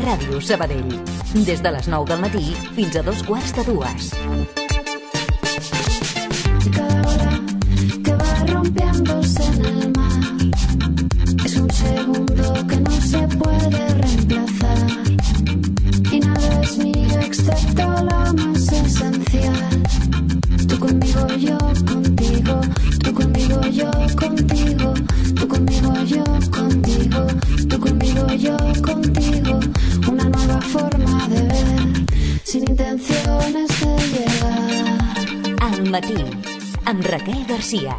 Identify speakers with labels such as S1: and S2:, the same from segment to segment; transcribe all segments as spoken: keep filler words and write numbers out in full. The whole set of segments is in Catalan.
S1: Ràdio Sabadell. Des de les nou del matí fins a dos quarts de dues.
S2: Cada hora que va rompiéndose en el mar es un segundo que no se puede reemplazar y nada es mío excepto lo más esencial. Tú conmigo, yo contigo, tú conmigo, yo contigo, tú conmigo, yo contigo, tú conmigo, yo contigo, una nueva forma de ver, sin intenciones de llegar.
S1: Al matí, amb Raquel Garcia.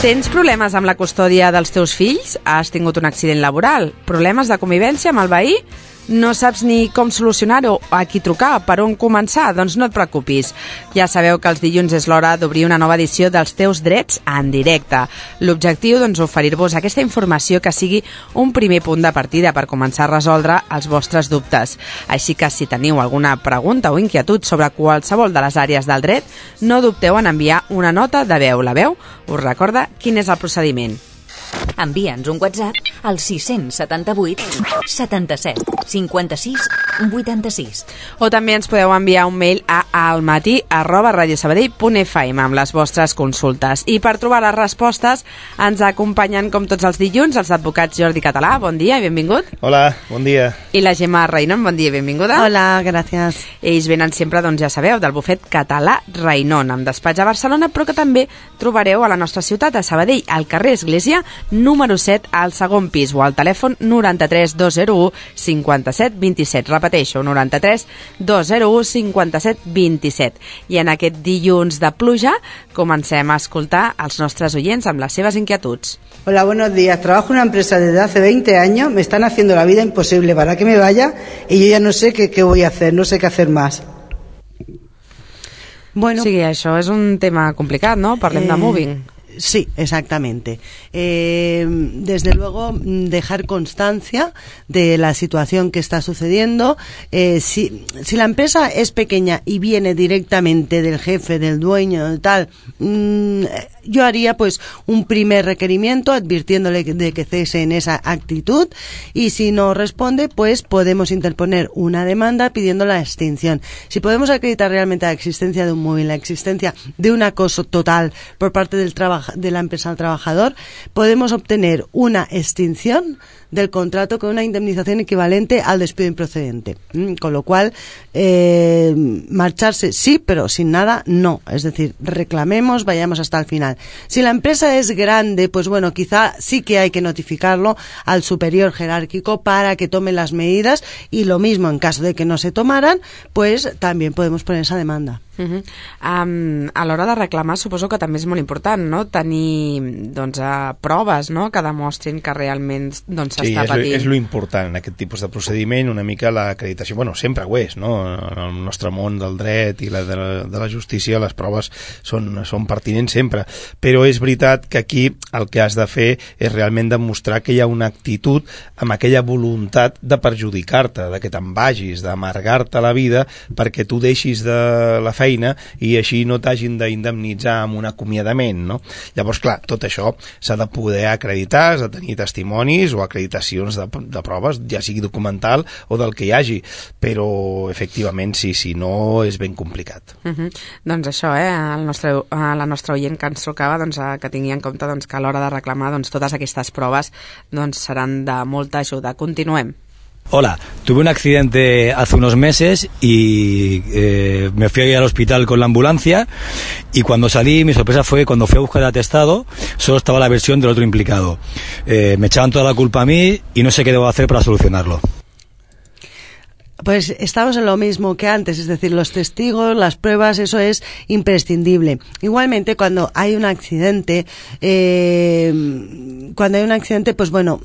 S3: Tens problemes amb la custòdia dels teus fills? Has tingut un accident laboral? Problemes de convivència amb el veí? No saps ni com solucionar-ho, a qui trucar, per on començar? Doncs no et preocupis. Ja sabeu que els dilluns és l'hora d'obrir una nova edició dels teus drets en directe. L'objectiu, doncs, oferir-vos aquesta informació que sigui un primer punt de partida per començar a resoldre els vostres dubtes. Així que si teniu alguna pregunta o inquietud sobre qualsevol de les àrees del dret, no dubteu en enviar una nota de veu. La veu us recorda quin és el procediment.
S1: Envia'ns un WhatsApp al sis setanta vuit setanta set cinquanta sis vuitanta sis.
S3: O també ens podeu enviar un mail a almatí arroba radiosabadell punt f m amb les vostres consultes. I per trobar les respostes ens acompanyen, com tots els dilluns, els advocats Jordi Català, bon dia i benvingut.
S4: Hola, bon dia.
S3: I la Gemma Rainon, bon dia i benvinguda.
S5: Hola, gràcies.
S3: Ells venen sempre, doncs ja sabeu, del bufet Català Rainon, amb despatx a Barcelona, però que també trobareu a la nostra ciutat, a Sabadell, al carrer Església, número set, al segon pis, o al telèfon noranta-tres dos zero u cinquanta-set vint-i-set. Repeteixo, noranta-tres dos zero u cinquanta-set vint-i-set. I en aquest dilluns de pluja comencem a escoltar els nostres oients amb les seves inquietuds.
S6: Hola, buenos días. Trabajo en una empresa desde hace veinte años. Me están haciendo la vida imposible para que me vaya y yo ya no sé qué, qué voy a hacer, no sé qué hacer más.
S3: Bueno, sí, això és un tema complicat, ¿no? Parlem eh... de moving.
S5: Sí, exactamente. Eh, desde luego, dejar constancia de la situación que está sucediendo. Eh, si, si la empresa es pequeña y viene directamente del jefe, del dueño, del tal, mmm, yo haría pues un primer requerimiento advirtiéndole de que cese en esa actitud, y si no responde, pues podemos interponer una demanda pidiendo la extinción. Si podemos acreditar realmente la existencia de un móvil, la existencia de un acoso total por parte del trabajo de la empresa al trabajador, podemos obtener una extinción del contrato con una indemnización equivalente al despido improcedente. Mm, con lo cual, eh, marcharse sí, pero sin nada no. Es decir, reclamemos, vayamos hasta el final. Si la empresa es grande, pues bueno, quizá sí que hay que notificarlo al superior jerárquico para que tome las medidas, y lo mismo en caso de que no se tomaran, pues también podemos poner esa demanda.
S3: Uh-huh. Um, a l'hora de reclamar suposo que també és molt important, no?, tenir doncs, uh, proves, no?, que demostrin que realment doncs,
S4: sí,
S3: s'està patint.
S4: Sí, és lo important en aquest tipus de procediment, una mica l'acreditació, bueno, sempre ho és, no?, en el nostre món del dret i la de, la, de la justícia les proves són, són pertinents sempre, però és veritat que aquí el que has de fer és realment demostrar que hi ha una actitud amb aquella voluntat de perjudicar-te, de que te'n vagis, d'amargar-te la vida perquè tu deixis de la feina feina i així no t'hagin d'indemnitzar amb un acomiadament, no? Llavors, clar, tot això s'ha de poder acreditar, s'ha de tenir testimonis o acreditacions de, de proves, ja sigui documental o del que hi hagi, però efectivament sí, sí, no és ben complicat.
S3: Uh-huh. Doncs això, eh, el nostre, la nostra oient que ens trucava, doncs, que tingui en compte doncs, que a l'hora de reclamar doncs, totes aquestes proves doncs, seran de molta ajuda. Continuem.
S7: Hola, tuve un accidente hace unos meses y eh, me fui al hospital con la ambulancia, y cuando salí mi sorpresa fue que cuando fui a buscar el atestado solo estaba la versión del otro implicado. Eh, me echaban toda la culpa a mí y no sé qué debo hacer para solucionarlo.
S5: Pues estamos en lo mismo que antes, es decir, los testigos, las pruebas, eso es imprescindible. Igualmente, cuando hay un accidente, eh, cuando hay un accidente, pues bueno,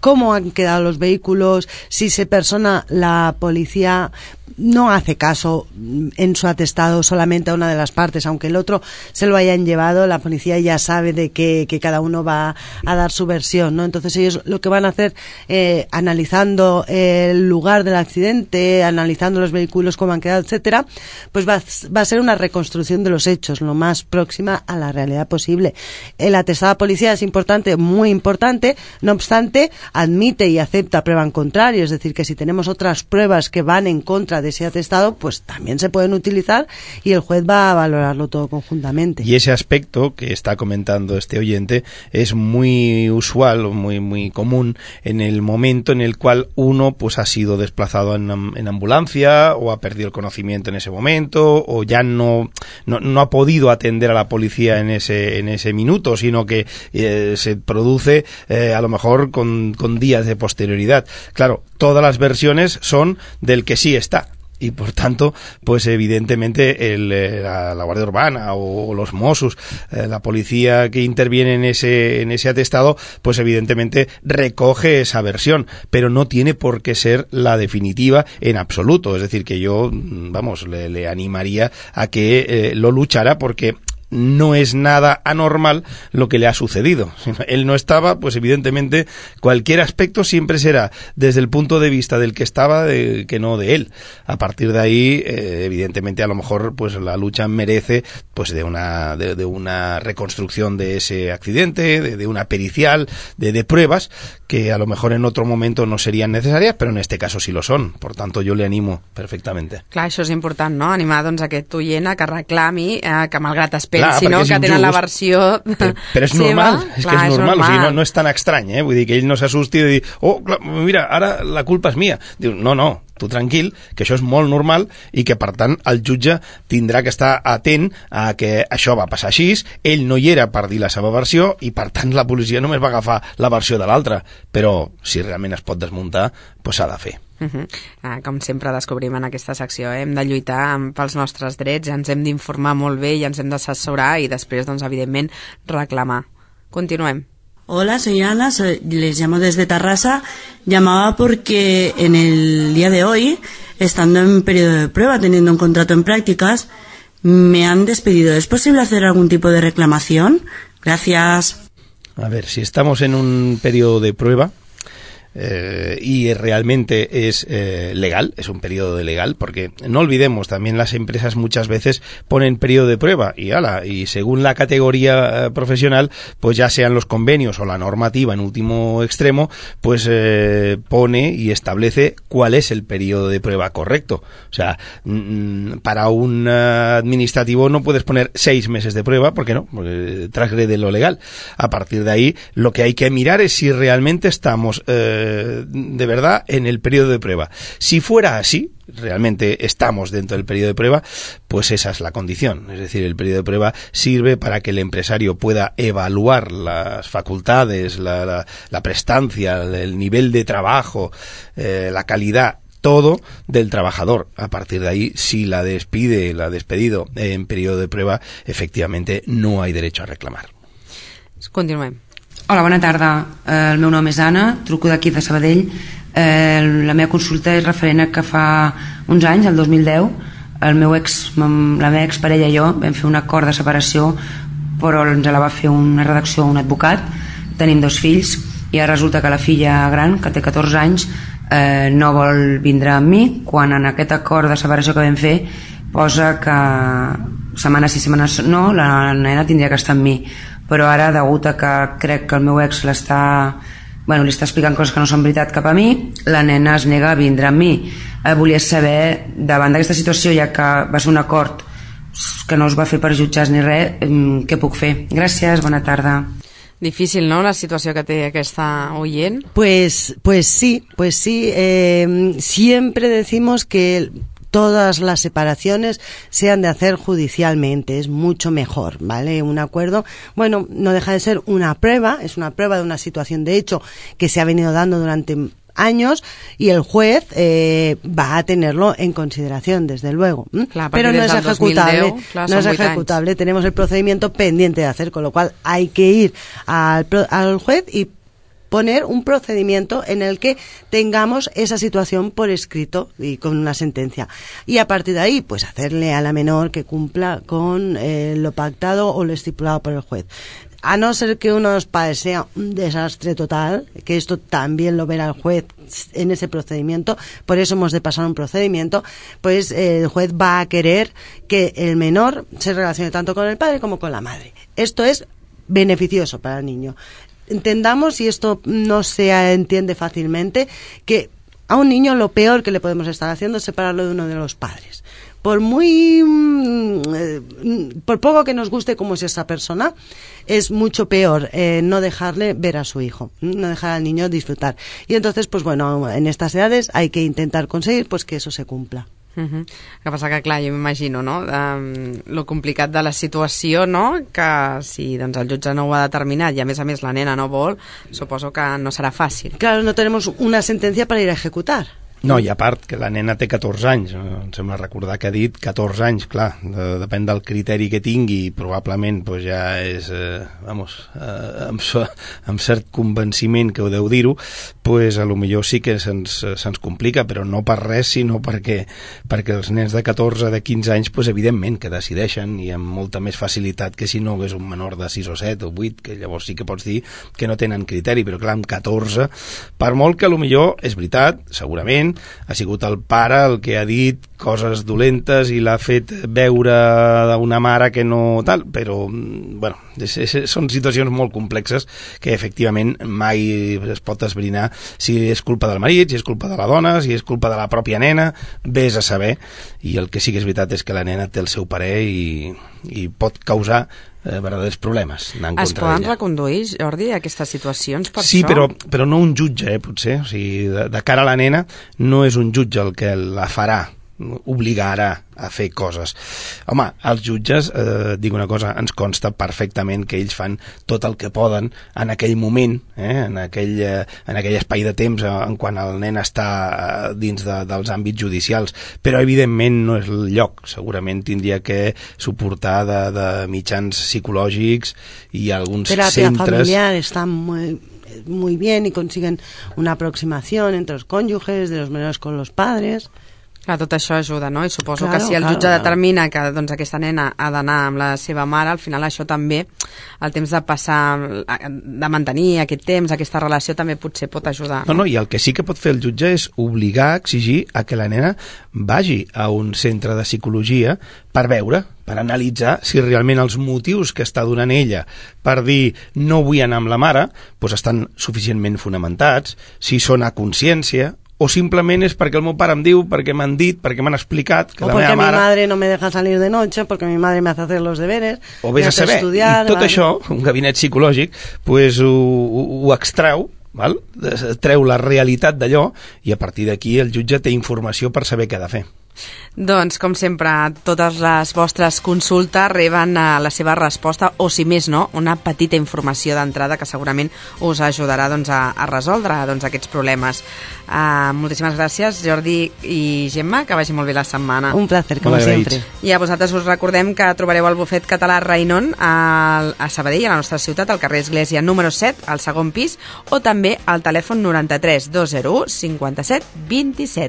S5: cómo han quedado los vehículos, si se persona la policía, no hace caso en su atestado solamente a una de las partes, aunque el otro se lo hayan llevado, la policía ya sabe de que, que cada uno va a dar su versión, ¿no? Entonces ellos lo que van a hacer, eh, analizando el lugar del accidente, analizando los vehículos, cómo han quedado, etcétera, pues va, va a ser una reconstrucción de los hechos, lo más próxima a la realidad posible. El atestado de policía es importante, muy importante, no obstante, admite y acepta prueba en contrario, es decir, que si tenemos otras pruebas que van en contra de ese atestado, pues también se pueden utilizar y el juez va a valorarlo todo conjuntamente.
S4: Y ese aspecto que está comentando este oyente es muy usual, muy muy común en el momento en el cual uno pues ha sido desplazado en, en ambulancia o ha perdido el conocimiento en ese momento o ya no, no, no ha podido atender a la policía en ese, en ese minuto, sino que eh, se produce eh, a lo mejor con, con días de posterioridad. Claro, todas las versiones son del que sí está. Y por tanto, pues evidentemente el, la, la Guardia Urbana o, o los Mossos, eh, la policía que interviene en ese, en ese atestado, pues evidentemente recoge esa versión, pero no tiene por qué ser la definitiva en absoluto. Es decir, que yo, vamos, le, le animaría a que eh, lo luchara porque no es nada anormal lo que le ha sucedido. Él no estaba, pues evidentemente cualquier aspecto siempre será desde el punto de vista del que estaba, de, que no de él. A partir de ahí, eh, evidentemente a lo mejor pues la lucha merece pues de una de, de una reconstrucción de ese accidente, de, de una pericial, de, de pruebas que a lo mejor en otro momento no serían necessàries, però en este caso sí lo són. Por tanto, yo le animo perfectamente.
S3: Clar, això és important, no? Animar doncs aquest oient a que reclami, eh, que malgrat es pensi, no? Que tenen la versió
S4: però, però és
S3: seva.
S4: Normal, és
S3: Clar,
S4: que és
S3: és
S4: normal,
S3: normal.
S4: o sigui, no, no és tan estrany, eh? Vull dir que ell no s'assusti de dir, oh, clar, mira, ara la culpa és mia. Diu, no, no, tu tranquil, que això és molt normal i que, per tant, el jutge tindrà que estar atent a que això va passar així, ell no hi era per dir la seva versió i, per tant, la policia només va agafar la versió de l'altre. Però, si realment es pot desmuntar, doncs s'ha de fer.
S3: Uh -huh. ah, com sempre descobrim en aquesta secció, eh? Hem de lluitar pels nostres drets, ens hem d'informar molt bé i ens hem d'assessorar i després, doncs, evidentment, reclamar. Continuem.
S8: Hola, soy Ana, soy, les llamo desde Tarrasa. Llamaba porque en el día de hoy, estando en periodo de prueba, teniendo un contrato en prácticas, me han despedido. ¿Es posible hacer algún tipo de reclamación? Gracias.
S4: A ver, si estamos en un periodo de prueba, Eh, y realmente es eh, legal, es un periodo de legal, porque no olvidemos, también las empresas muchas veces ponen periodo de prueba y ala, y según la categoría eh, profesional, pues ya sean los convenios o la normativa en último extremo, pues eh, pone y establece cuál es el periodo de prueba correcto. O sea, mm, para un uh, administrativo no puedes poner seis meses de prueba, porque no, porque transgrede lo legal. A partir de ahí, lo que hay que mirar es si realmente estamos eh, de verdad en el periodo de prueba. Si fuera así, realmente estamos dentro del periodo de prueba, pues esa es la condición. Es decir, el periodo de prueba sirve para que el empresario pueda evaluar las facultades, la, la, la prestancia, el nivel de trabajo, eh, la calidad, todo del trabajador. A partir de ahí, si la despide, la ha despedido en periodo de prueba, efectivamente no hay derecho a reclamar.
S3: Continuem.
S9: Hola, bona tarda. Eh, el meu nom és Anna, truco d'aquí de Sabadell. Eh, la meva consulta és referent a que fa uns anys, el dos mil deu, el meu ex, la meva exparella i jo vam fer un acord de separació, però ens la va fer una redacció un advocat. Tenim dos fills i ara resulta que la filla gran, que té catorze anys, eh, no vol vindre amb mi, quan en aquest acord de separació que vam fer posa que setmana sí, setmana no, la nena tindria que estar amb mi. Però ara, degut a que crec que el meu ex l'està, bueno, li està explicant coses que no són veritat cap a mi, la nena es nega a vindre amb mi. Eh, volia saber, davant d'aquesta situació, ja que va ser un acord que no es va fer per jutjats ni res, què puc fer? Gràcies, bona tarda.
S3: Difícil, ¿no?, la situació que té aquesta oient.
S5: Pues, pues sí, pues sí. Eh, siempre decimos que todas las separaciones se han de hacer judicialmente, es mucho mejor, ¿vale? Un acuerdo, bueno, no deja de ser una prueba, es una prueba de una situación de hecho que se ha venido dando durante años y el juez eh, va a tenerlo en consideración, desde luego.
S3: Clar,
S5: pero no es ejecutable,
S3: dos mil deu, clar,
S5: no es ejecutable, anys. Tenemos el procedimiento pendiente de hacer, con lo cual hay que ir al, al juez y poner un procedimiento en el que tengamos esa situación por escrito y con una sentencia. Y a partir de ahí, pues hacerle a la menor que cumpla con eh, lo pactado o lo estipulado por el juez. A no ser que uno de los padres sea un desastre total, que esto también lo verá el juez en ese procedimiento, por eso hemos de pasar un procedimiento, pues eh, el juez va a querer que el menor se relacione tanto con el padre como con la madre. Esto es beneficioso para el niño. Entendamos, y esto no se entiende fácilmente, que a un niño lo peor que le podemos estar haciendo es separarlo de uno de los padres. Por muy eh, por poco que nos guste cómo es esa persona, es mucho peor eh, no dejarle ver a su hijo, no dejar al niño disfrutar. Y entonces, pues bueno, en estas edades hay que intentar conseguir pues que eso se cumpla.
S3: Uh-huh. El que passa que, clar, jo m'imagino, no?, um, lo complicat de la situació, no?, que si doncs, el jutge no ho ha determinat i a més a més la nena no vol, suposo que no serà fàcil.
S5: Claro, no tenemos una sentencia para ir a ejecutar.
S4: No, i a part que la nena té catorze anys, em sembla recordar que ha dit catorze anys, clar, de, depèn del criteri que tingui, probablement pues, ja és, eh, vamos, eh, amb, amb cert convenciment que ho deu dir-ho, pues a lo millor sí que se'ns, se'ns complica, però no per res, sinó perquè, perquè els nens de catorze, de quinze anys, pues, evidentment que decideixen i amb molta més facilitat que si no hagués un menor de sis o set o vuit, que llavors sí que pots dir que no tenen criteri, però clar, amb catorze, per molt que a lo millor és veritat, segurament, ha sigut el pare el que ha dit coses dolentes i l'ha fet veure d'una mare que no tal, però bueno, és, és, són situacions molt complexes que efectivament mai es pot esbrinar si és culpa del marit, si és culpa de la dona, si és culpa de la pròpia nena, vés a saber. I el que sí que és veritat és que la nena té el seu parer i, i pot causar eh, verdaders problemes.
S3: Es poden reconduir, Jordi, aquestes situacions per
S4: sí,
S3: això?
S4: Sí, però, però no un jutge, eh, potser. O sigui, de, de cara a la nena no és un jutge el que la farà, obligarà a fer coses. Home, els jutges, eh, dic una cosa, ens consta perfectament que ells fan tot el que poden en aquell moment, eh, en, aquell, eh, en aquell espai de temps eh, en quan el nen està eh, dins de, dels àmbits judicials, però evidentment no és el lloc. Segurament tindria que suportar de, de mitjans psicològics i alguns
S5: terapia
S4: centres...
S5: Terapia familiar està muy, muy bien y consiguen una aproximación entre los cónyuges, de los menores con los padres...
S3: Clar, tot això ajuda, no? I suposo
S5: claro,
S3: que si el
S5: claro,
S3: jutge
S5: claro.
S3: determina que doncs, aquesta nena ha d'anar amb la seva mare, al final això també, el temps de passar, de mantenir aquest temps, aquesta relació, també potser pot ajudar.
S4: No, no, i el que sí que pot fer el jutge és obligar, exigir a que la nena vagi a un centre de psicologia per veure, per analitzar si realment els motius que està donant ella per dir no vull anar amb la mare doncs estan suficientment fonamentats, si són a consciència, o simplement és perquè el meu pare em diu, perquè m'han dit, perquè m'han explicat que
S5: o
S4: la
S5: meva
S4: meva mare...
S5: mi madre no me deja salir de noche, porque mi madre me hace hacer los deberes,
S4: o vés a saber, estudiar, i tot vale. Això, un gabinet psicològic, pues, ho, ho, ho extreu, val? Treu la realitat d'allò, i a partir d'aquí el jutge té informació per saber què ha de fer.
S3: Doncs, com sempre, totes les vostres consultes reben la seva resposta, o si més no, una petita informació d'entrada que segurament us ajudarà doncs, a, a resoldre doncs, aquests problemes. Uh, moltíssimes gràcies, Jordi i Gemma, que vagi molt bé la setmana.
S5: Un placer, com sempre.
S3: I a vosaltres us recordem que trobareu el bufet català Rainon a, a Sabadell, a la nostra ciutat, al carrer Església número set, al segon pis, o també al telèfon noranta-tres dos zero u cinquanta-set vint-i-set.